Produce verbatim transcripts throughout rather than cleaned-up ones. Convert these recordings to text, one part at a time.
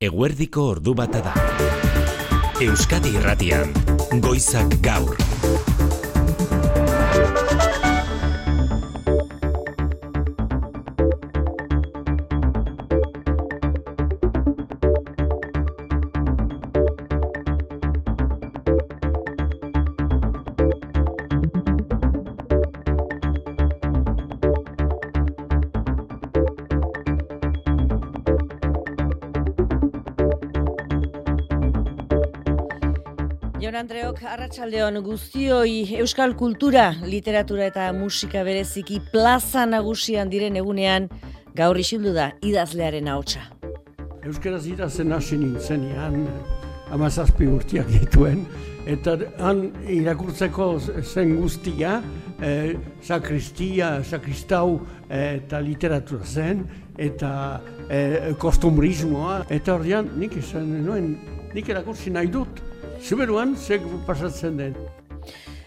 Eguerdiko ordu bata da. Euskadi Irratian, Goizak Gaur. Andreok, arratsaldeon guztioi. Euskal kultura, literatura eta musika bereziki plaza nagusian diren egunean gaur isildu da idazlearen ahotsa. Euskaraz idazten hasi nintzenean hamazazpi urteak dituen, eta han irakurtzeko zen guztia, eh, sakristia, sakristau eh, eta literatura zen, eta eh, kostumbrismoa, eta ordean nik izan nuen, nik erakurtzi nahi dut. Zuberuan, zek pasatzen den.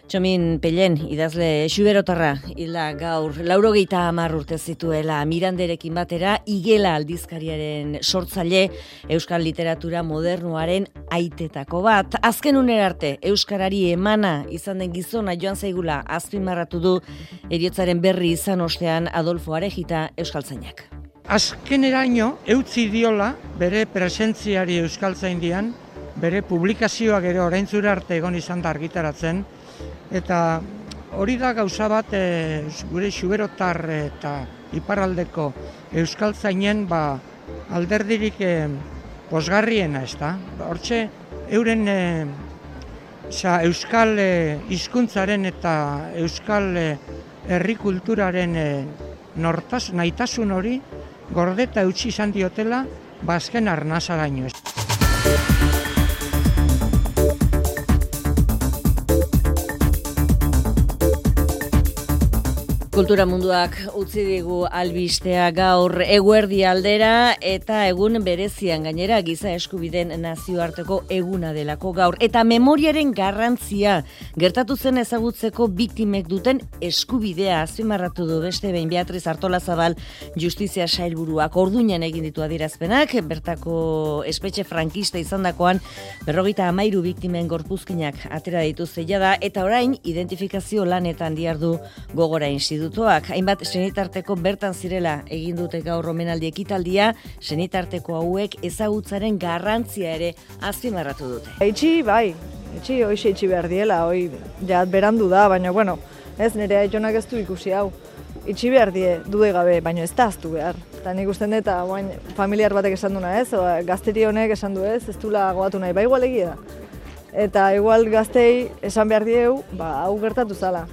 Txomin Pellen, idazle xuberotarra, hilda gaur, laurogeita hamar urte zituela, Miranderekin batera, Igela aldizkariaren sortzaile, euskal literatura modernoaren aitetako bat. Azken unera arte, euskarari emana izan den gizona joan zaigula azpimarratu du heriotzaren berri izan ostean Adolfo Arejita euskaltzainak. Azkeneraino, eutzi diola bere presentziari euskaltzaindian, bere publikazioak ere oraintzura arte egon izan da argitaratzen, eta hori da gauza bat e, gure xuberotar eta iparraldeko euskaltzainen ba, alderdirik e, posgarriena, ez da? Hortxe, euren e, sa, euskal e, hizkuntzaren eta euskal e, herri kulturaren e, nortas, naitasun hori gordeta eutsi izan diotela bazken arnazaraino. Kultura munduak utzi digu albistea gaur eguerdi aldera eta egun berezian gainera giza eskubideen nazioarteko eguna delako gaur. Eta memoriaren garrantzia gertatu zen ezagutzeko biktimek duten eskubidea azpimarratu du beste behin Beatriz Artolazabal Justizia Sailburuak orduñan egin ditu adierazpenak, bertako espetxe frankista izandakoan berrogeita hamairu biktimen gorpuzkinak atera dituzte jada eta orain identifikazio lanetan dihardu Gogora Institutua. Hainbat senitarteko bertan zirela egin dute gaur omenaldi ekitaldia, senitarteko hauek ezagutzaren garrantzia ere azpimarratu dute. Itxi, bai, itxi, hoxe itxi behar diela, hoi, ja, berandu da, baina, bueno, ez nire aitonak ez du ikusi hau. Itxi behar die, dude gabe, baina ez da aztu behar. Eta nik usten dut, guain, familiar batek esan duna ez, o, gazteri honek esan du ez, ez dula goatu nahi, ba igual egia da. Eta igual gaztei esan behar dieu, ba, hau gertatu zala.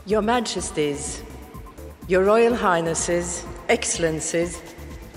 Your Majesties, Your Royal Highnesses, Excellencies,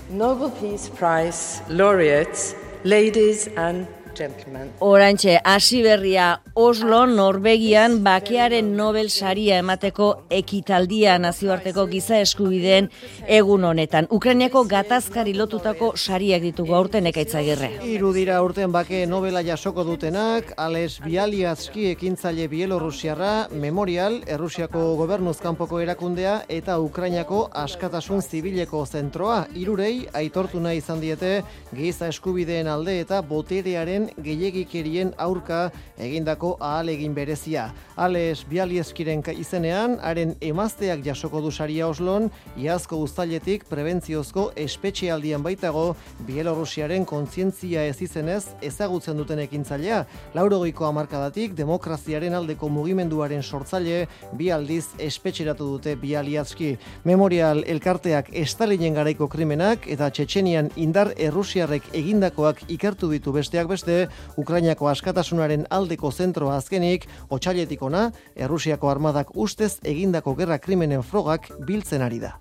Nobel Peace Prize laureates, ladies and gentlemen. Orantxe, hasi berria Oslo, Norvegian, bakearen Nobel saria emateko ekitaldia nazioarteko giza eskubideen egun honetan. Ukrainiako gatazkari lotutako sariak ditugu aurten Ekaitz Agirre. Hiru dira aurten bake Nobela jasoko dutenak, Ales Bialiatski ekintzaile Bielorrusiarra, Memorial, Errusiako gobernuz kanpoko erakundea eta Ukrainiako askatasun zibileko zentroa. Hirurei aitortu nahi izan diete giza eskubideen alde eta boterearen gehiegikerien aurka egindako ahalegin berezia. Ales Bialieskiren izenean, haren emazteak jasoko du saria Oslon, iazko uztailetik prebentziozko espetxealdian baitago Bielorrusiaren kontzientzia ez izenez ezagutzen duten ekintzailea. Laurogeiko hamarkadatik demokraziaren aldeko mugimenduaren sortzaile bi aldiz espetxeratu dute Bialiatski. Memorial elkarteak Stalinen garaiko krimenak eta Txetxenian indar errusiarrek egindakoak ikertu ditu besteak beste, Ukrainako askatasunaren aldeko zentroa azkenik, otsailetik ona, Errusiako armadak ustez egindako gerra krimenen frogak biltzen ari da.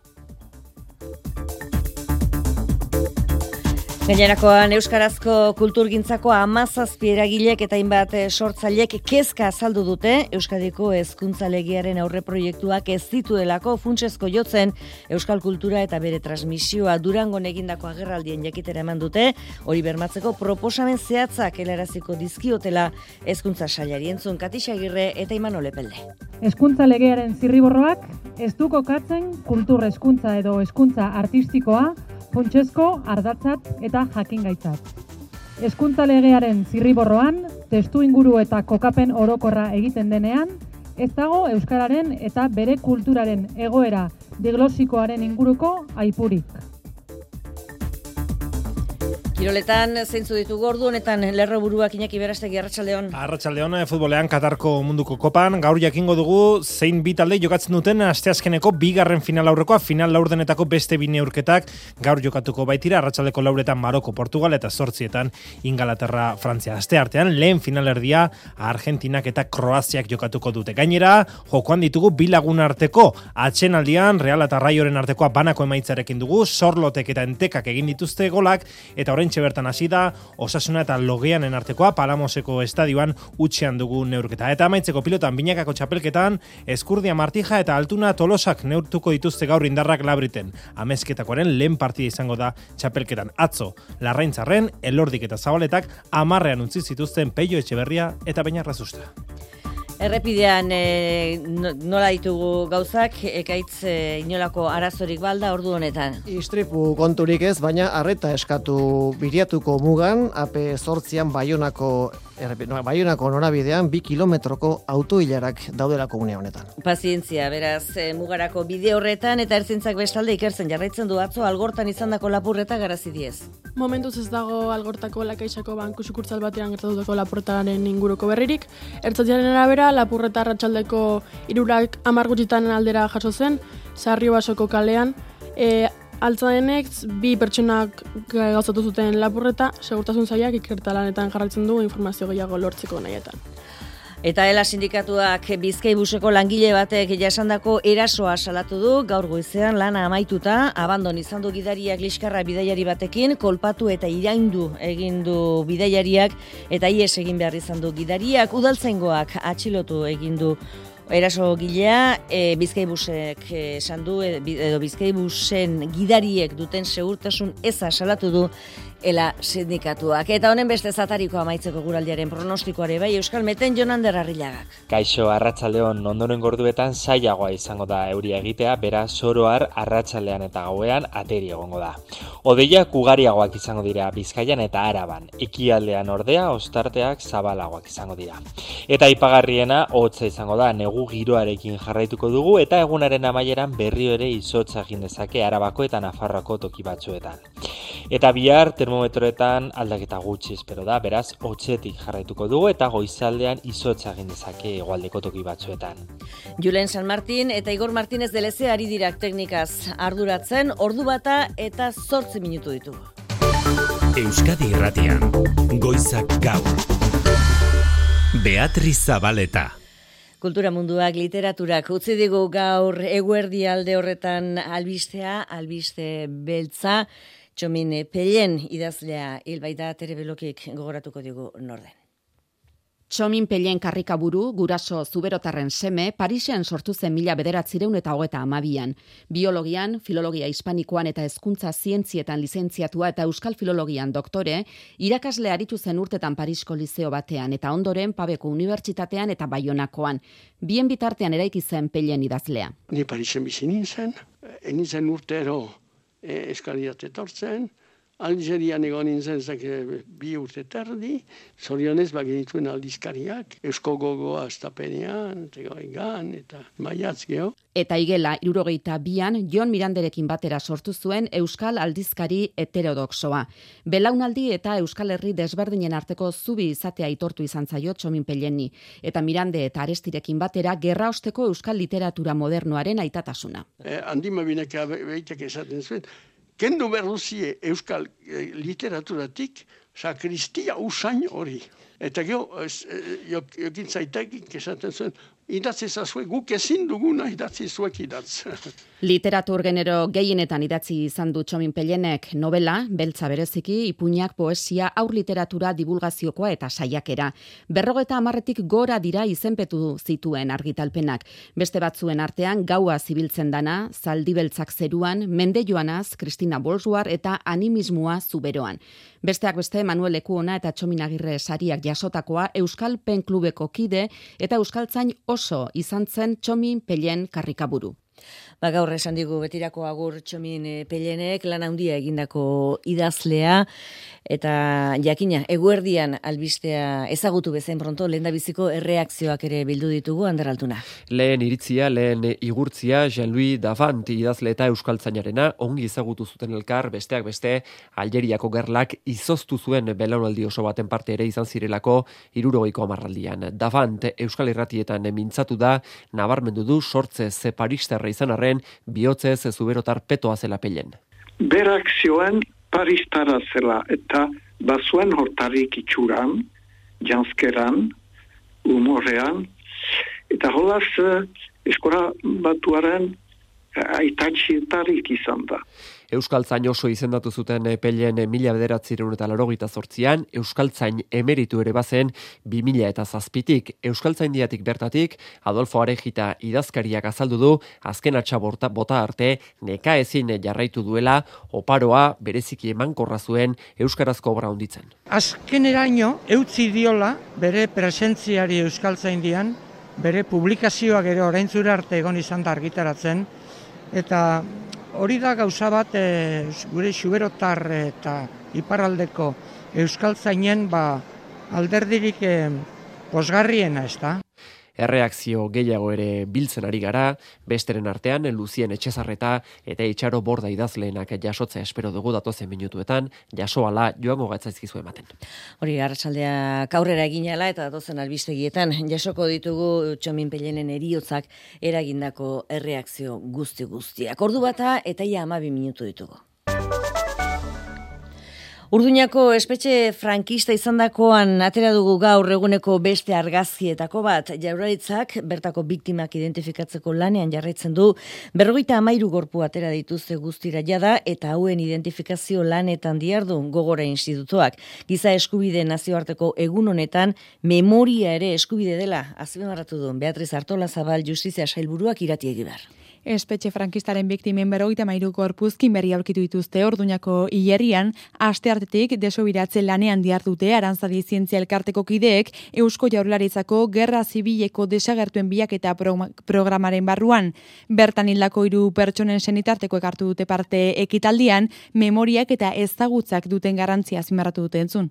Gainerakoan Euskarazko kulturgintzako hamazazpi eragilek eta hainbat sortzailek kezka azaldu dute Euskadiko hezkuntza legearen aurreproiektuak ez dituelako funtsezko jotzen euskal kultura eta bere transmisioa. Durangon egindako agerraldien jakitera eman dute, hori bermatzeko proposamen zehatzak helaraziko dizkiotela hezkuntza sailari. Entzun Katixa Agirre eta Imanol Epelde. Hezkuntza legearen zirriborroak ez du kokatzen kultur hezkuntza edo hezkuntza artistikoa funtsezko ardatzat eta jakingaitzat. Hezkuntza legearen zirriborroan, testu inguru eta kokapen orokorra egiten denean, ez dago euskararen eta bere kulturaren egoera diglosikoaren inguruko aipurik. Kiroletan zeintzu ditugu ordu honetan lerroburuak Iñaki Berastegi, arratsaldeon. Arratsaldeon, futbolean Katarko munduko kopan, gaur jakingo dugu zein bi talde jokatzen duten asteazkeneko bigarren final aurrekoa, final laurdenetako beste bi neurketak gaur jokatuko baitira, arratsaldeko lauretan Maroko, Portugal eta zortzietan Ingalaterra, Frantzia. Asteartean lehen finalerdia Argentinak eta Kroaziak jokatuko dute. Gainera, jokoan ditugu bi lagun arteko atsenaldian Real eta Raioren artekoa banako emaitzarekin dugu, Sorlotek eta Entekak egin dituzte golak eta orain bertan hasi da Osasuna eta Logeanen artekoa Palamoseko estadioan utxean dugu neurketa. Eta amaitzeko pilotan binakako txapelketan Eskurdia Martija eta Altuna Tolosak neurtuko dituzte gaur indarrak Labriten. Amezketakoaren lehen partida izango da txapelketan. Atzo, Larraintzarren, Elordik eta Zabaletak amarrean utzi zituzten Peio Etxeberria eta Beñarrazusta. Errepidean e, nola ditugu gauzak, ekaitz e, inolako arazorik balda ordu honetan. Istripu konturik ez, baina arreta eskatu Biriatuko mugan, A P zortzian Baionako, no, Baionako norabidean bi kilometroko autoilarak daudelako une honetan. Pazientzia, beraz, e, mugarako bide horretan eta ertzaintzak bestalde ikertzen jarraitzen du. Atzo Algortan izandako lapurreta garazi diez. Momentuz ez dago Algortako Lakaixako banku sukurtsal batean gertatutako lapurretaren inguruko berririk. Ertzaintzaren arabera lapurreta arratsaldeko hirurak hamar gutxitan aldera jaso zen, Sarriobasoko kalean. E, Altzadenek bi pertsonak gauzatu zuten lapurreta, segurtasun sailak ikertalanetan jarraitzen du informazio gehiago lortzeko nahietan. Eta Ela sindikatuak Bizkaibuseko langile batek jasandako erasoa salatu du, gaur goizean lana amaituta, abandon izan du gidariak liskarra bidaiari batekin, kolpatu eta iraindu egin du bidaiariak, eta ies egin behar izan du gidariak, udaltzaingoak atxilotu egin du eraso gilea, e, Bizkaibusek esan du, edo Bizkaibusen gidariek duten segurtasun eza salatu du Ela sindikatuak. Eta honen beste zatariko amaitzeko guraldiaren pronostikoare bai, Euskal Meten Jonander Arrillagak. Kaixo, arratsaldeon ondoren gorduetan zailagoa izango da euria egitea, beraz soroar arratsaldean eta gauean ateri egongo da. Hodeiak ugariagoak izango dira Bizkaian eta Araban, ekialdean ordea ostarteak zabalagoak izango dira. Eta aipagarriena hotza izango da, negu giroarekin jarraituko dugu eta egunaren amaieran berriro ere izotza egin dezake Arabako eta Nafarroako toki batzuetan. Eta bihar termometroetan aldaketa gutxi espero da, beraz hotzetik jarraituko dugu eta goizaldean izotza egin dezake hegoaldeko toki batzuetan. Julen San Martin eta Igor Martinez de Leze ari dirak teknikaz arduratzen, ordu bata eta zortzi minutu ditugu. Euskadi Irratian, Goizak Gaur. Beatriz Zabaleta. Kultura munduak, literaturak utzi digu gaur eguerdi alde horretan albistea, albiste beltza, Txomin Pellen idazlea hilbaita Terebelokik gogoratuko digu norden. Txomin Pellen karrikaburu, guraso zuberotarren seme, Parisen sortu zen mila bederatzireun eta hogeta amabian. Biologian, filologia hispanikoan eta hezkuntza zientzietan lizentziatua eta euskal filologian doktore, irakasle aritu zen urtetan Parisko lizeo batean eta ondoren Pabeko unibertsitatean eta Baionakoan. Bien bitartean eraiki zen Pellen idazlea. Ni Parisen bizi nintzen, nintzen urtero e, eskaliat etortzen, Algerian egon nintzen bi urte terdi, zorionez bagenituen aldizkariak, Eusko Gogoa Astapenean, Tegoigan eta Maiatz geho. Eta igela, irurogeita bian, Jon Miranderekin batera sortu zuen Euskal Aldizkari Heterodoxoa. Belaunaldi eta Euskal Herri desberdinen arteko zubi izatea aitortu izan zaio Txomin Pelleni, eta Mirande eta Arestirekin batera gerra osteko Euskal literatura modernoaren aitatasuna. Eh, Andima bineka behitek esaten zuen, kendu berruzie euskal e, literaturatik sakristia usain hori. Eta geho, jokin zaitekik esaten zuen, idatzi zazue, guk ezin duguna idatzi zuek idatz. Literatur genero gehienetan idatzi izan du Txomin Pellenek novela, beltza bereziki, ipuinak, poesia, aur literatura, divulgaziokoa eta saiakera. Berrogeta hamarretik gora dira izenpetu zituen argitalpenak. Beste batzuen artean gaua zibiltzen dana, zaldi beltzak zeruan, mende joanaz, Kristina Bolsuar eta animismoa zuberoan. Besteak beste Manuel Lekuona eta Txomin Agirre sariak jasotakoa Euskal Pen Klubeko kide eta euskaltzain oso izan zen Txomin Pellen karrikaburu. Ba, gaur esan digu betirako agur Txomin Pellenek, lan handia egindako idazlea, eta jakina, eguerdian albistea ezagutu bezen pronto, lehen da biziko erreakzioak ere bildu ditugu, Ander Altuna. Lehen iritzia, lehen igurtzia, Jean-Louis Davant idazle eta euskaltzainarena, ongi ezagutu zuten elkar, besteak beste, Algeriako gerlak izoztu zuen belaunaldi oso baten parte ere izan zirelako hirurogeiko hamarraldian. Davant euskal irratietan mintzatu da, nabarmendu du sortzez Paristerra izan arren, bihotzez zuberotar petoa zela Pellen. Berak zioen Paristara zela eta bazuen hortarik itxuran, janskeran, humorean, eta holaz eskola batuaren aitatxietarik izan da. Euskaltzain oso izendatu zuten Pellen mila bederatziehun eta laurogeita zortzian, euskaltzain emeritu ere bazen bi mila eta zazpitik. Euskaltzaindiatik bertatik, Adolfo Arejita idazkariak azaldu du, azken atxa bota, bota arte, neka ezin jarraitu duela, oparoa bereziki emankorra zuen euskarazko obra honditzen. Azkeneraino, eutzi diola bere presentziari euskaltzaindian, bere publikazioak ere oraintzura arte egon izan da argitaratzen, eta hori da gauza bat e, gure xuberotar eta iparraldeko euskaltzainen ba, alderdirik e, posgarriena, ez da? Erreakzio gehiago ere biltzen ari gara, besteren artean Luzien Etxezarreta eta Itxaro Borda idazleenak jasotzea espero dugu datozen minutuetan, jasoala joango gatzaizkizu ematen. Hori, arratsaldeak aurrera eginala eta datozen albistegietan jasoko ditugu Txomin Pellenen heriotzak eragindako erreakzio guzti-guztiak. Ordu bata eta ia hamabi minutu ditugu. Urduñako espetxe frankista izandakoan atera dugu gaur eguneko beste argazkietako bat. Jaurlaritzak bertako biktimak identifikatzeko lanean jarraitzen du, berrogeita hamairu gorpu atera dituzte guztira jada eta hauen identifikazio lanetan diardu Gogora Institutoak. Giza eskubide nazioarteko egun honetan memoria ere eskubide dela azpimarratu du Beatriz Artolazabal Justizia Sailburuak Irati Egibar. Espetxe frankistaren biktimen berrogeita hamairu gorpuzkin berri aurkitu dituzte Orduñako hilerrian, asteartetik desobiratzen lanean diardute Aranzadi Zientzia Elkarteko kideek Eusko Jaurlaritzako Gerra Zibileko desagertuen bilaketa pro- programaren barruan. Bertan hildako hiru pertsonen senitarteko ekartu dute parte ekitaldian, memoriak eta ezagutzak duten garrantzia azpimarratu dute entzun.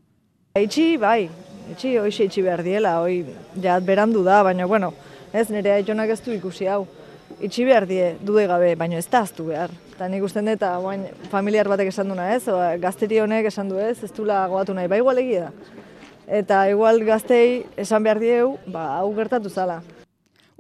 Itxi, bai, itxi, hoxe itxi behar diela, hoi, ja, berandu da, baina, bueno, ez nire aitonak ez du ikusi hau. Itxi behar die, dude gabe, baina ez da aztu behar. Eta nik usten dut, guain familiar batek esan duna ez, o, gazteri honek esan du ez, ez dula goatu nahi, ba igual egia da. Eta igual gaztei esan behar dieu, ba, hau gertatu zala.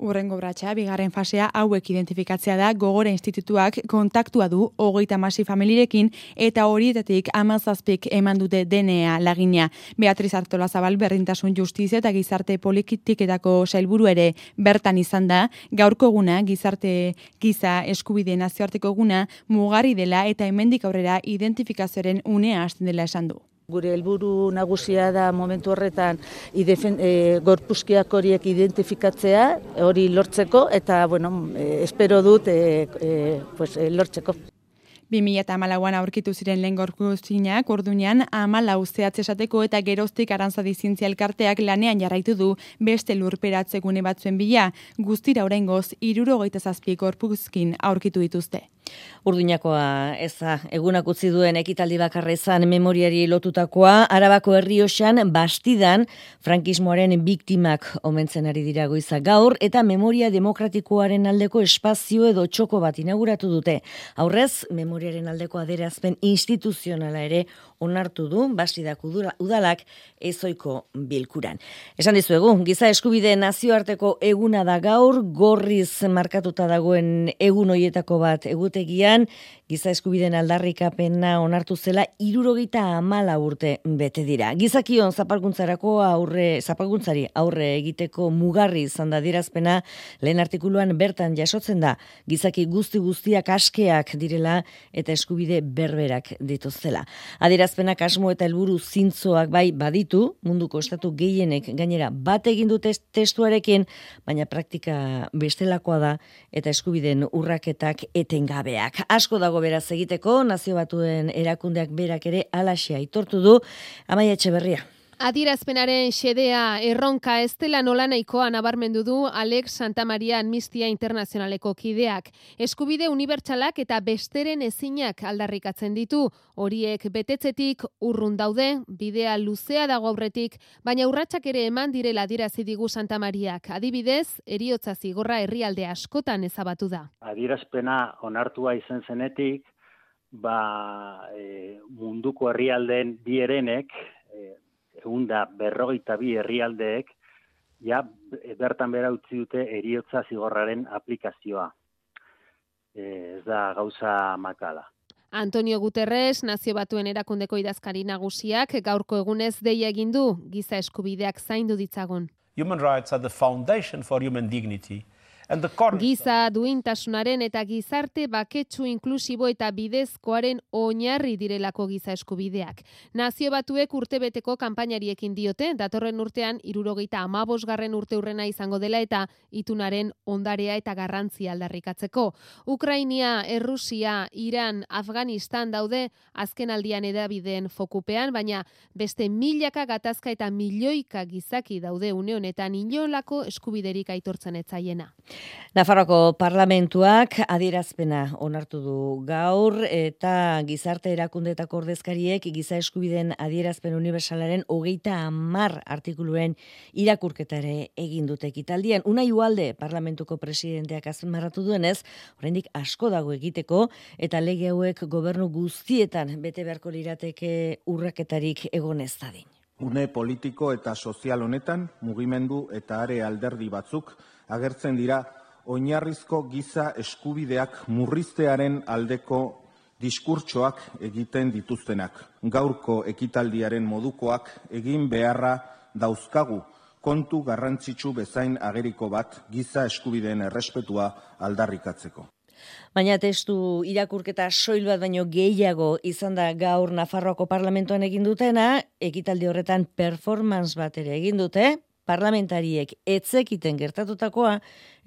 Urrengo bratxa, bigarren fasea hauek identifikatzea da Gogora Institutuak kontaktua du hogeita hamasei familirekin eta horietatik hamazazpik eman dute D N A lagina. Beatriz Artolazabal Berdintasun Justizia eta Gizarte Politiketako sailburu ere bertan izan da, gaurko eguna gizarte giza eskubide nazioarteko eguna mugarri dela eta hemendik aurrera identifikazioaren unea hasten dela esan du. Gure helburu nagusia da momentu horretan idefen, e, gorpuzkiak horiek identifikatzea, hori lortzeko, eta bueno, e, espero dut e, e, pues, e, lortzeko. bi mila hamalauan aurkitu ziren lehen gorpuzkinak Orduñan hamalau zehatz esateko eta geroztik Aranzadi Zientzia Elkarteak lanean jarraitu du beste lurperatze gune batzuen bila, guztira oraingoz hirurogeita zazpi gorpuzkin aurkitu dituzte. Urduñakoa eza egunak utzi duen ekitaldi bakarra izan memoriari lotutakoa, Arabako Errioxan Bastidan frankismoaren biktimak omentzen ari dira goiza gaur eta memoria demokratikoaren aldeko espazio edo txoko bat inauguratu dute. Aurrez, memoriaren aldeko adierazpen instituzionala ere onartu du Bastidak udalak ezoiko bilkuran. Esan dizuegu, giza eskubide nazioarteko eguna da gaur, gorriz markatuta dagoen egun hoietako bat egute egutegian, giza eskubideen aldarrikapena onartu zela hirurogeita hamala urte bete dira. Gizakion zapalkuntzarako aurre, zapalkuntzari aurre egiteko mugarri izan da adierazpena, lehen artikuluan bertan jasotzen da, gizaki guzti guztiak askeak direla eta eskubide berberak dituztela. Adierazpenak asmo eta helburu zintzoak bai baditu, munduko estatu gehienek gainera bat egin dute testuarekin, baina praktika bestelakoa da eta eskubideen urraketak etengabeak. Asko dago beraz egiteko, Nazio Batuen erakundeak berak ere halaxe aitortu du. Amaia Etxeberria. Adierazpenaren xedea erronka ez dela nolanahikoa nabarmendu du Alex Santamaria Amnistia Internazionaleko kideak. Eskubide unibertsalak eta besteren ezinak aldarrikatzen ditu. Horiek betetzetik urrun daude, bidea luzea dago aurretik, baina urratsak ere eman direla adierazi digu Santamariak. Adibidez, heriotza zigorra herrialde askotan ezabatu da. Adierazpena onartua izan zenetik, ba, e, munduko herrialdeen bi herenek, e, egun da berrogeita bi herrialdeek, ja, bertan bera utzi dute heriotza zigorraren aplikazioa. E, ez da gauza makala. Antonio Guterres, Nazio Batuen erakundeko idazkari nagusiak, gaurko egunez deia egin du, giza eskubideak zaindu ditzagun. Human rights are the foundation for human dignity. Giza duintasunaren eta gizarte baketsu inklusibo eta bidezkoaren oinarri direlako giza eskubideak. Nazio Batuek urtebeteko kanpainariekin diote, datorren urtean hirurogeita hamabosgarren urte urrena izango dela eta itunaren ondarea eta garrantzia aldarrikatzeko. Ukrainia, Errusia, Iran, Afganistan daude azken aldian edabideen fokupean, baina beste milaka gatazka eta milioika gizaki daude une honetan inolako eskubiderik aitortzen etzaiena. Nafarroako parlamentuak adierazpena onartu du gaur eta gizarte erakundeetako ordezkariek giza eskubideen adierazpen unibertsalaren hogeita hamar artikuluen irakurketa ere egin dute ekitaldian. Unai Ugalde parlamentuko presidenteak azpimarratu duenez, oraindik asko dago egiteko eta lege hauek gobernu guztietan bete beharko lirateke urraketarik egon ez dadin. Une politiko eta sozial honetan mugimendu eta are alderdi batzuk agertzen dira oinarrizko giza eskubideak murriztearen aldeko diskurtsoak egiten dituztenak. Gaurko ekitaldiaren modukoak egin beharra dauzkagu kontu garrantzitsu bezain ageriko bat giza eskubideen errespetua aldarrikatzeko. Baina testu irakurketa soil bat baino gehiago izan da gaur Nafarroako parlamentuan egin dutena, ekitaldi horretan performance bat ere egin dute, parlamentariek etzekiten gertatutakoa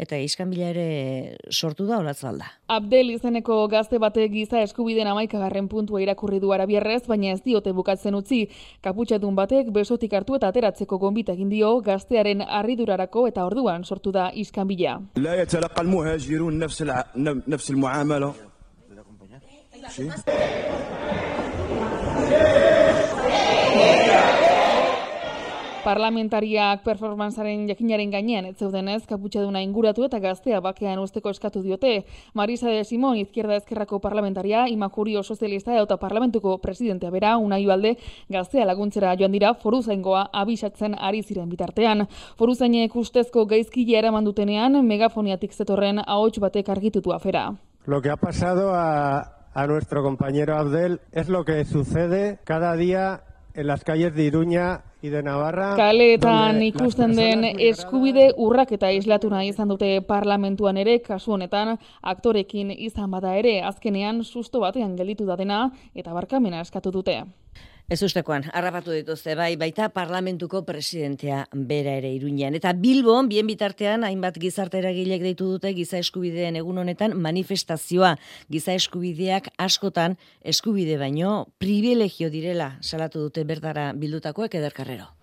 eta iskanbila ere sortu da olatzalda. Abdel izeneko gazte batek giza eskubideen hamaikagarren puntua irakurri du arabierrez, baina ez diote bukatzen utzi. Kaputxadun batek besotik hartu eta ateratzeko gonbita egin dio gaztearen harridurarako eta orduan sortu da iskanbila. La yatalaqa al-muhajirun nafs nafs al-muamala. Parlamentariak performanzaren jakinaren gainean ez zeudenez kaputxaduna inguratu eta gaztea bakean usteko eskatu diote. Marisa de Simón, Izquierda Ezkerrako parlamentaria, Imakurio sozialista eta parlamentuko presidentea bera, Unai Ugalde, gaztea laguntzera joan dira foruzaingoa abisatzen ari ziren bitartean. Foruzainek ustezko gaizkile eraman dutenean megafoniatik zetorren ahots batek argitutu afera. Lo que ha pasado a, a nuestro compañero Abdel es lo que sucede cada día en las calles de Iruña y de Navarra. Kaleetan ikusten den eskubide urraketa islatu nahi izan dute parlamentuan ere, kasu honetan aktorekin izan bada ere, azkenean susto batean gelditu da dena eta barkamena eskatu dute. Ez ustekoan, harrapatu dituzte, bai, baita parlamentuko presidentea bera ere Iruñean. Eta Bilbon, bien bitartean, hainbat gizarte eragilek deitu dute giza eskubideen egun honetan manifestazioa. Giza eskubideak askotan eskubide baino privilegio direla salatu dute bertara bildutakoek Eder Carrero.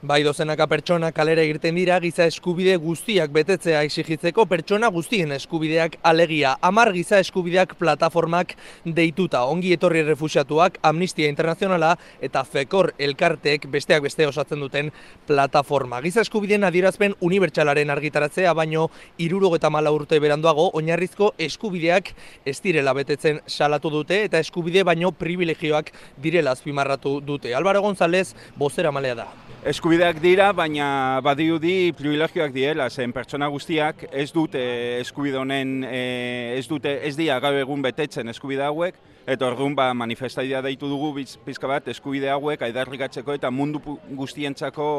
Bai dozenaka pertsona kalera irten dira giza eskubide guztiak betetzea exigitzeko pertsona guztien eskubideak alegia. Hamar giza eskubideak plataformak deituta. Ongi etorri refuxiatuak, Amnistia Internazionala eta Fekor elkarteek besteak beste osatzen duten plataforma. Giza eskubideen adierazpen unibertsalaren argitaratzea baino hirurogeita hamalau urte beranduago oinarrizko eskubideak ez direla betetzen salatu dute eta eskubide baino privilegioak direla azpimarratu dute. Álvaro González bozeramailea da. Eskubideak dira, baina badiudi privilegioak diela, zen pertsona guztiak ez dute eskubide honen, ez dute, ez dira gaur egun betetzen eskubide hauek, eta orduan ba, manifestaidea deitu dugu pizka bat eskubide hauek aidarrikatzeko eta mundu guztientzako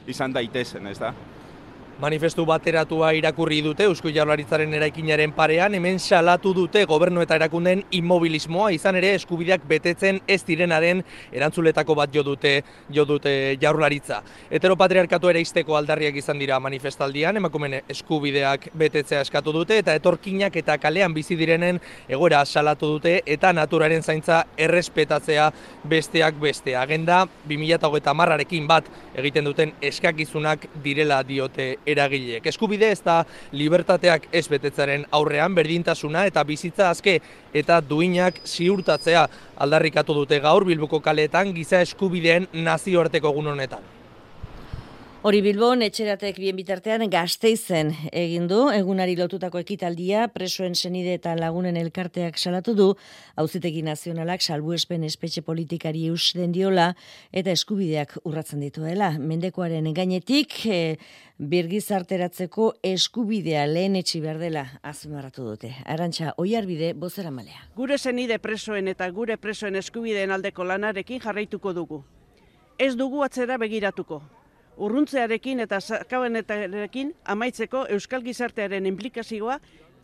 izan daitezen, ez da? Manifestu bateratua irakurri dute Eusko Jaurlaritzaren eraikinaren parean, hemen salatu dute gobernu eta erakundeen immobilismoa, izan ere eskubideak betetzen ez direnaren erantzuletako bat jo dute, jo dute Jaurlaritza. Heteropatriarkatu ere izteko aldarriak izan dira manifestaldian, emakumeen eskubideak betetzea eskatu dute, eta etorkinak eta kalean bizi direnen egoera salatu dute, eta naturaren zaintza errespetatzea besteak beste. Agenda bi mila hogeita hamarrekin bat egiten duten eskakizunak direla diote eragileek. Eskubide ez da libertateak ez betetzaren aurrean berdintasuna eta bizitza azke eta duinak ziurtatzea aldarrikatu dute gaur Bilboko kaleetan giza eskubideen nazioarteko egun honetan. Hori Bilbon, etxeratek bien bitartean Gasteizen egin du, egunari lotutako ekitaldia, presoen senide eta lagunen elkarteak salatu du, Auzitegi Nazionalak salbuespen espetxe politikari eus den diola eta eskubideak urratzen dituela. Mendekoaren gainetik, e, birgizarteratzeko eskubidea lehen etxi behar dela azpimarratu dute. Arantxa Oiarbide, bozeramalea. Gure senide presoen eta gure presoen eskubideen aldeko lanarekin jarraituko dugu. Ez dugu atzera begiratuko. Urruntzearekin eta sakabanetarekin amaitzeko euskal gizartearen implikazioa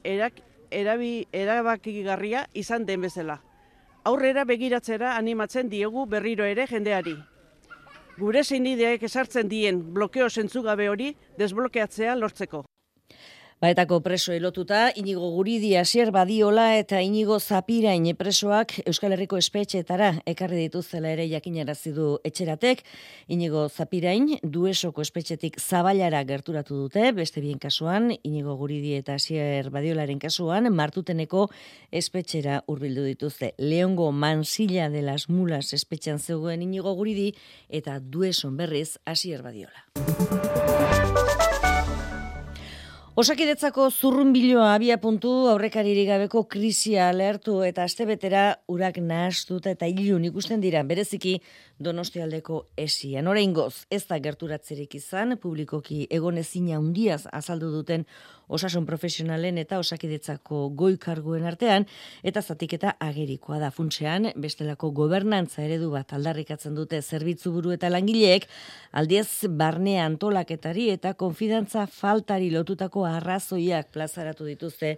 erak, erabi, erabakigarria izan den bezala. Aurrera begiratzera animatzen diegu berriro ere jendeari. Gure zeinideek esartzen dien blokeo zentzugabe hori desblokeatzea lortzeko. Baetako preso elotuta, Inigo Guridi, Asier Badiola eta Inigo Zapirain presoak Euskal Herriko espetxeetara ekarri dituztela ere jakinarazi du etxeratek. Inigo Zapirain Duesoko espetxetik Zaballara gerturatu dute, beste bien kasuan, Inigo Guridi eta Asier Badiolaren kasuan, Martuteneko espetxera hurbildu dituzte. Leongo Mansilla de las Mulas espetxean zegoen Inigo Guridi eta Dueson berriz Asier Badiola. Osakidetzako zurrunbiloa abia puntu aurrekaririk gabeko krisia lehertu eta astebetera urak nahastuta eta ilun ikusten dira bereziki Donostialdeko esian. Oraingoz ez da gerturatzerik izan, publikoki egonezina handiaz azaldu duten osasun profesionalen eta osakidetzako goi karguen artean, eta zatiketa agerikoa da funtsean, bestelako gobernantza eredu bat aldarrikatzen dute zerbitzu buru eta langileek, aldiez barne antolaketari eta konfidantza faltari lotutako arrazoiak plazaratu dituzte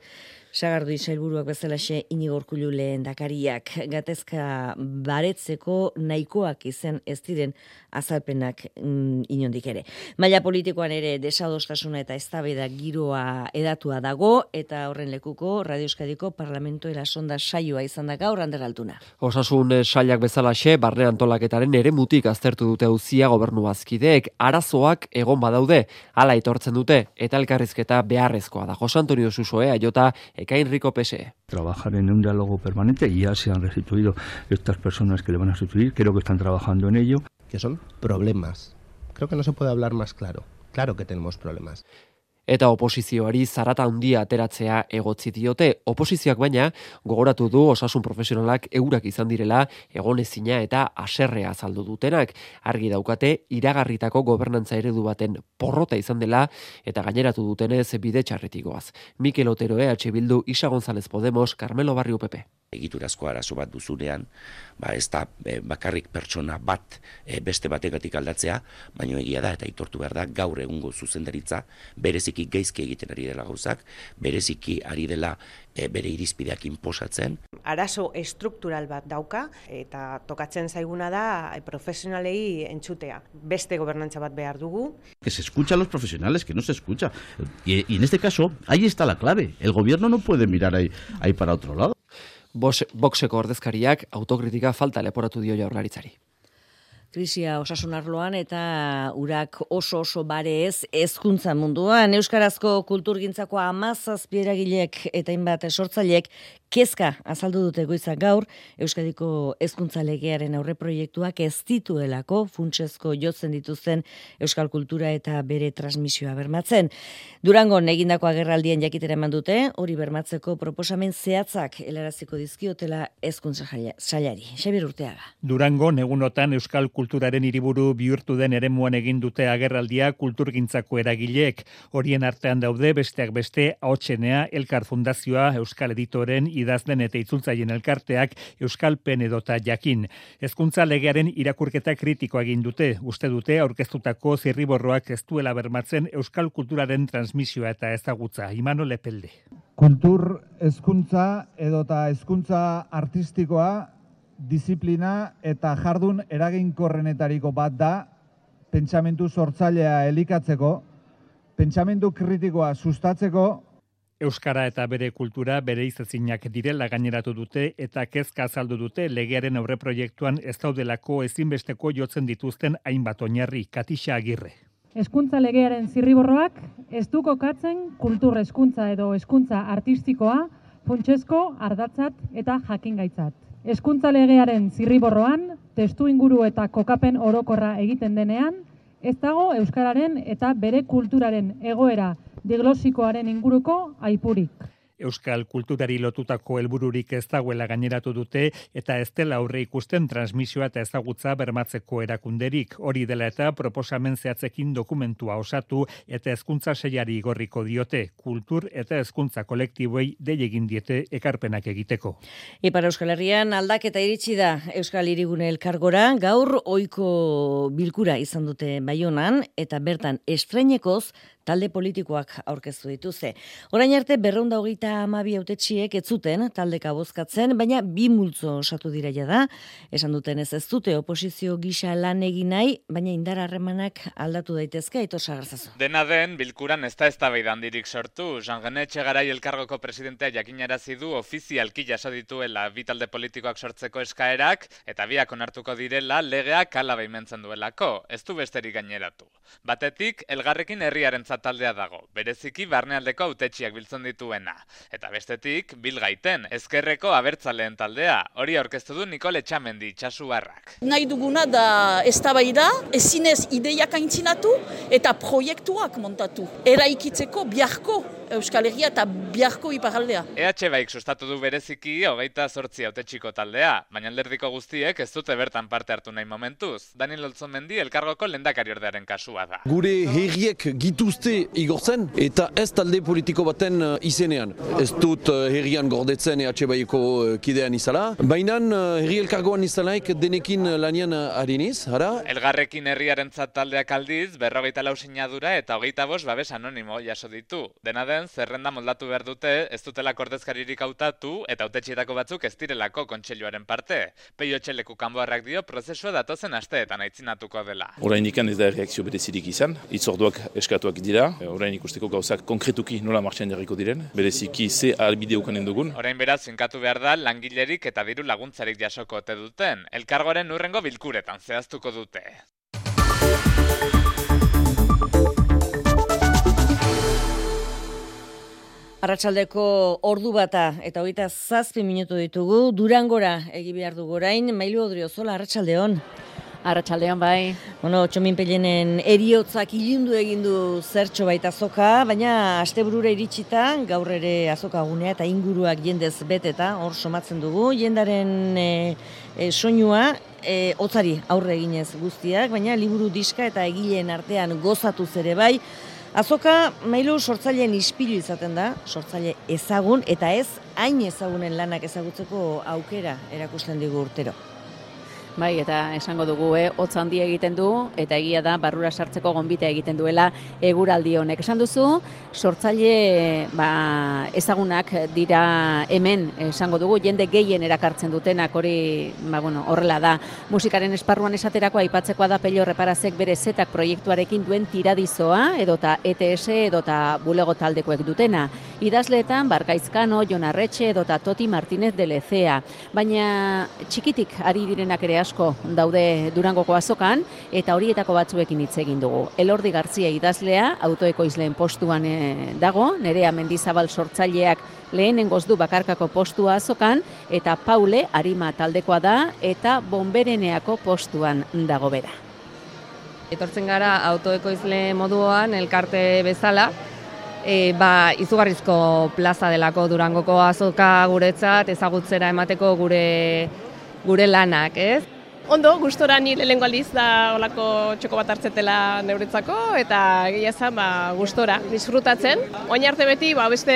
Sagardui sailburuak bezalaxe Inigo Urkullu lehendakariak. Gatezka baretzeko nahikoak izen ez diren azalpenak mm, inondik ere. Maila politikoan ere desadostasuna eta eztabaida giroa edatua dago eta horren lekuko Radio Euskadiko Parlamentuera sonda saioa izan da gaur Ander Altuna. Osasun sailak bezalaxe barne antolaketaren eremutik aztertu dute auzia gobernu bazkideek, arazoak egon badaude, hala etortzen dute eta elkarrizketa beharrezkoa da. Jose Antonio Susoe, Aiota, Ekain Rico P S E. Trabajar en un diálogo permanente y ya se han restituido estas personas que le van a sustituir, creo que están trabajando en ello. Que son problemas. Creo que no se puede hablar más claro. Claro que tenemos problemas. Eta oposizioari zarata handia ateratzea egotzi diote. Oposizioak baina gogoratu du osasun profesionalak eurak izan direla egonezina eta haserrea azaldu dutenak. Argi daukate iragarritako gobernantza eredu baten porrota izan dela eta gaineratu dutenez bide txarretik goaz. Mikel Otero E H Bildu, Isa González Podemos, Carmelo Barrio P P. Egiturazko arazo bat duzunean, ba ez da e, bakarrik pertsona bat e, beste bategatik aldatzea, baino egia da eta aitortu behar da gaur egungo zuzendaritza bereziki gaizki egiten ari dela gauzak, bereziki ari dela e, bere irizpideak inposatzen. Arazo estruktural bat dauka eta tokatzen zaiguna da profesionalei entzutea. Beste gobernantza bat behar dugu. Que se escucha a los profesionales, que no se escucha. Y, y en este caso, ahí está la clave. El gobierno no puede mirar ahí, ahí para otro lado. Boxeko ordezkariak autokritika falta leporatu dio Jaurlaritzari. Krisia osasun arloan eta urak oso oso bare ez hezkuntza munduan. Euskarazko kulturgintzako hamazazpi eragileek eta hainbat sortzaileek Kezka azaldu dute goiza gaur, Euskadiko hezkuntza legearen aurreproiektuak ez dituelako funtsezko jotzen dituzten euskal kultura eta bere transmisioa bermatzen. Durangon egindako agerraldien jakitera eman dute, hori bermatzeko proposamen zehatzak helaraziko dizkiotela hezkuntza sailari. Xabier Urteaga. Durangon egunotan euskal kulturaren hiriburu bihurtu den eremuan egin dute agerraldia kulturgintzako eragileek. Horien artean daude besteak beste Ahotsenea, Elkar Fundazioa, Euskal Editoren, idazlen eta itzultzaien elkarteak, Euskalpen edota Jakin. Hezkuntza legearen irakurketa kritikoa egin dute. Uste dute aurkeztutako zirriborroak ez duela bermatzen euskal kulturaren transmisioa eta ezagutza. Imano Lepelde. Kultur hezkuntza edota hezkuntza artistikoa disiplina eta jardun eraginkorrenetariko bat da pentsamentu sortzailea elikatzeko, pentsamentu kritikoa sustatzeko. Euskara eta bere kultura bere izezinak direla gaineratu dute eta kezka azaldu dute legearen aurreproiektuan ez daudelako ezinbesteko jotzen dituzten hainbat oinarri. Katixa Agirre. Hezkuntza legearen zirriborroak ez du kokatzen kultur hezkuntza edo hezkuntza artistikoa funtsezko ardatzat eta jakingaitzat. Hezkuntza legearen zirriborroan testu inguru eta kokapen orokorra egiten denean, ez dago euskararen eta bere kulturaren egoera diglosikoaren inguruko aipurik. Euskal kulturari lotutako helbururik ez dagoela gaineratu dute eta ez dela aurre ikusten transmisioa eta ezagutza bermatzeko erakunderik. Hori dela eta proposamen zehatzekin dokumentua osatu eta hezkuntza sailari igorriko diote. Kultur eta hezkuntza kolektiboei dei egin diete ekarpenak egiteko. Ipar Euskal Herrian aldaketa iritsi da Euskal Hirigune Elkargora, gaur ohiko bilkura izan dute Baionan eta bertan estreinekoz talde politikoak aurkeztu dituzte. Orain arte berrehun eta hogeita hamabi hautetsiek ez zuten taldeka bozkatzen, baina bi multzo osatu dira jada. Esan duten ez ez dute oposizio gisa lan egin nahi, baina indar harremanak aldatu daitezke. Aitor Sagarzazu. Dena den, bilkuran ez da eztabaida handirik sortu. Jean René Etxegarai Elkargoko presidentea jakinarazi du ofizialki jaso dituela bi talde politikoak sortzeko eskaerak eta biak onartuko direla legeak hala baimentzen duelako. Ez du besterik gaineratu. Batetik, Elgarrekin Herriaren taldea dago, bereziki barnealdeko hautetsiak biltzen dituena. Eta bestetik, Bilgaiten, ezkerreko abertzaleen taldea, hori aurkeztu du Nikol Etxamendi itxasuarrak. Nahi duguna da eztabaida, ezinez ideiak aintzinatu eta proiektuak montatu. Eraikitzeko biharko Euskal Herria eta biharko iparraldea. E H Baik sustatu du bereziki hogeita zortzi hautetxiko taldea, baina alderdiko guztiek ez dute bertan parte hartu nahi momentuz. Daniel Olzomendi Elkargoko lehendakariordearen kasua da. Gure herriek gituzte igortzen eta ez talde politiko baten izenean. Ez dut herrian gordetzen E H Baiko kidean izala, baina herri elkargoan izalaik denekin lanian hariniz, hara? Elgarrekin Herriaren taldeak aldiz, berrogeita lau sinadura eta hogeita bost babes anonimo jaso ditu. Dena den, zerrenda moldatu behar dute, ez dutela ordezkaririk hautatu eta hautetxietako batzuk ez direlako kontseiluaren parte. Peio Etxeleku kanboarrak dio prozesua datozen asteetan aitzinatuko dela. Orain ikan ez da reakzio berezirik izan, hitzorduak eskatuak dira, orain ikusteko gauzak konkretuki nola martxan jarriko diren, bereziki ze albide ukanen dugun. Orain beraz, finkatu behar da langilerik eta diru laguntzarik jasoko ote duten. Elkargoaren urrengo bilkuretan zehaztuko dute. Arratsaldeko ordu bata eta hogeita zazpi minutu ditugu, Durangora egi behar dugu orain, Mailu Odriozola, arratsaldeon. Arratsaldeon bai. Bueno, Txomin Pelenen eriotzak ilundu egin du zertxo baita azoka, baina asteburura iritsita, gaur ere azoka gunea eta inguruak jendez beteta, hor somatzen dugu, jendaren e, e, soinua, e, hotzari aurre eginez guztiak, baina liburu diska eta egileen artean gozatuz ere bai. Azoka, Mailu, sortzaileen ispilu izaten da, sortzaile ezagun, eta ez hain ezagunen lanak ezagutzeko aukera erakusten digu urtero. Bai, eta esango dugu, eh, hotz handia egiten du, eta egia da, barrura sartzeko gonbita egiten duela eguraldi honek. Esan duzu, sortzaile ba, ezagunak dira hemen, esango dugu, jende gehien erakartzen dutenak, hori ba, bueno, horrela da. Musikaren esparruan esaterako aipatzekoa da Pello Reparazek bere zetak proiektuarekin duen tiradizoa, edota E T S, edota bulego taldekoek dutena. Idazleetan, Barkaizkano, Jon Arretxe, edota Toti Martínez de Lezea. Baina txikitik ari direnak ere asko daude Durangoko azokan, eta horietako batzuekin hitz egin dugu. Elordi Garzia idazlea, autoekoizleen postuan e, dago, Nerea Mendizabal sortzaileak lehenengoz du bakarkako postua azokan, eta Paule Arima taldekoa da, eta Bonbereneako postuan dago bera. Etortzen gara autoekoizle moduan, elkarte bezala, e, ba, izugarrizko plaza delako Durangoko azoka guretzat, ezagutzera emateko gure, gure lanak, ez? Ondo, gustora ni lehengo aldiz da olako txoko bat hartzetela neuretzako, eta egia zen, ba, gustora, disfrutatzen. Oin arte beti, ba, beste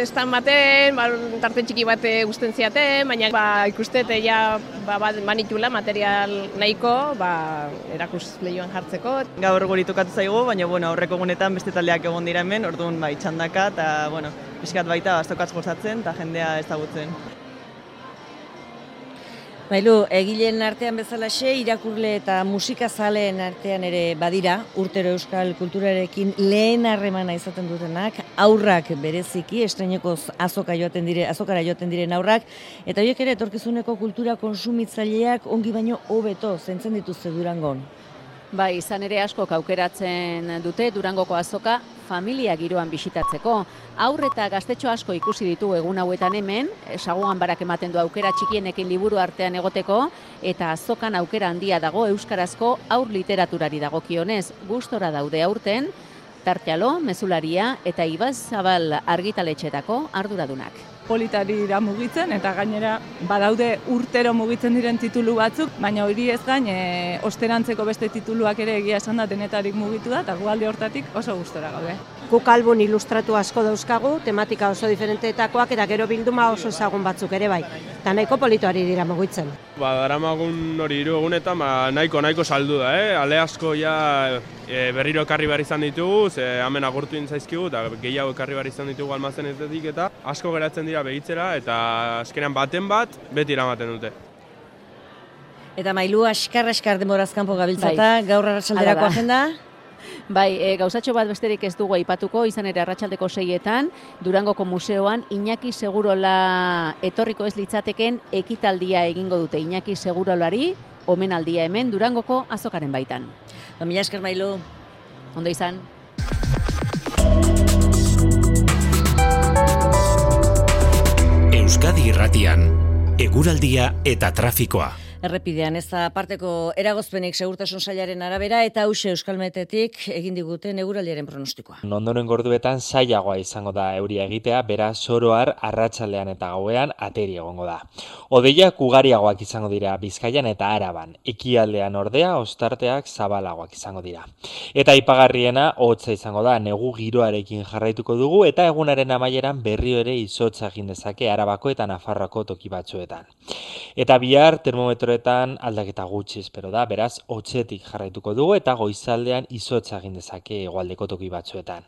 estan baten, ba, tarte txiki bat gusten ziaten, baina ba, ikustete ja ba, ba, manitula material nahiko, ba, erakus lehioan jartzeko. Gaur guri tokatu zaigu, baina bueno, aurreko egunetan beste taldeak egon dira hemen, orduan bai, txandaka, eta bueno, pixkat baita baztokatz gozatzen, eta jendea ezagutzen. Bailu, egileen artean bezalaxe, irakurle eta musikazaleen artean ere badira, urtero euskal kulturarekin lehen harremana izaten dutenak, aurrak bereziki, estreinekoz azoka joaten dire, azokara joaten diren aurrak, eta horiek ere etorkizuneko kultura konsumitzaileak ongi baino hobeto zentzen dituzte Durangon. Bai, izan ere askok aukeratzen dute Durangoko azoka familia giroan bisitatzeko. Aur eta gaztetxo asko ikusi ditu egun hauetan hemen, saguan barak ematen du aukera txikienekin liburu artean egoteko, eta azokan aukera handia dago euskarazko aur literaturari dagokionez. Gustora daude aurten, Tartialo, Mezularia eta Ibazabal argitaletxetako arduradunak. Politari da mugitzen, eta gainera badaude urtero mugitzen diren titulu batzuk, baina hori ez gain, e, osterantzeko beste tituluak ere egia esan da denetarik mugitu da, eta gualde hortatik oso gustora gaude. Guk album ilustratu asko dauzkagu, tematika oso diferenteetakoak, eta gero bilduma oso ezagun batzuk ere bai, eta nahiko politoari dira mugitzen. Ba, daramagun hori hiru egunetan, ba, nahiko nahiko saldu da, eh? Ale asko ja e, berriro ekarri behar izan ditugu, ze hemen agurtu zaizkigu, eta gehiago ekarri behar izan ditugu almazenetetik, eta asko geratzen dira begitzera, eta azkenean baten bat, beti eramaten dute. Eta Mailu, askar-askar denborazkanpo gabiltzata, bai. Gaur arratsalderako agenda? Bai, e, gauzatxo bat besterik ez dugu aipatuko, izan ere arratsaldeko seietan, Durangoko museoan Iñaki Segurola etorriko ez litzateken ekitaldia egingo dute. Iñaki Segurolari omenaldia hemen Durangoko azokaren baitan. Ba, mila esker Mailu. Ondo izan. Euskadi Irratian, eguraldia eta trafikoa. Errepidean ez da parteko eragozpenik segurtasun sailaren arabera eta hause Euskalmetetik egin diguten eguraldiaren pronostikoa. Ondoren gorduetan zailagoa izango da euria egitea, beraz oroar arratsaldean eta gauean ateri egongo da. Hodeiak ugariagoak izango dira Bizkaian eta Araban, ekialdean ordea ostarteak zabalagoak izango dira. Eta aipagarriena hotza izango da, negu giroarekin jarraituko dugu eta egunaren amaieran berriro ere izotza egin dezake Arabako eta Nafarroako toki batzuetan. Eta bihar termometro aldaketa gutxi espero da, beraz hotzetik jarraituko dugu eta goizaldean izotza egin dezake hegoaldeko toki batzuetan.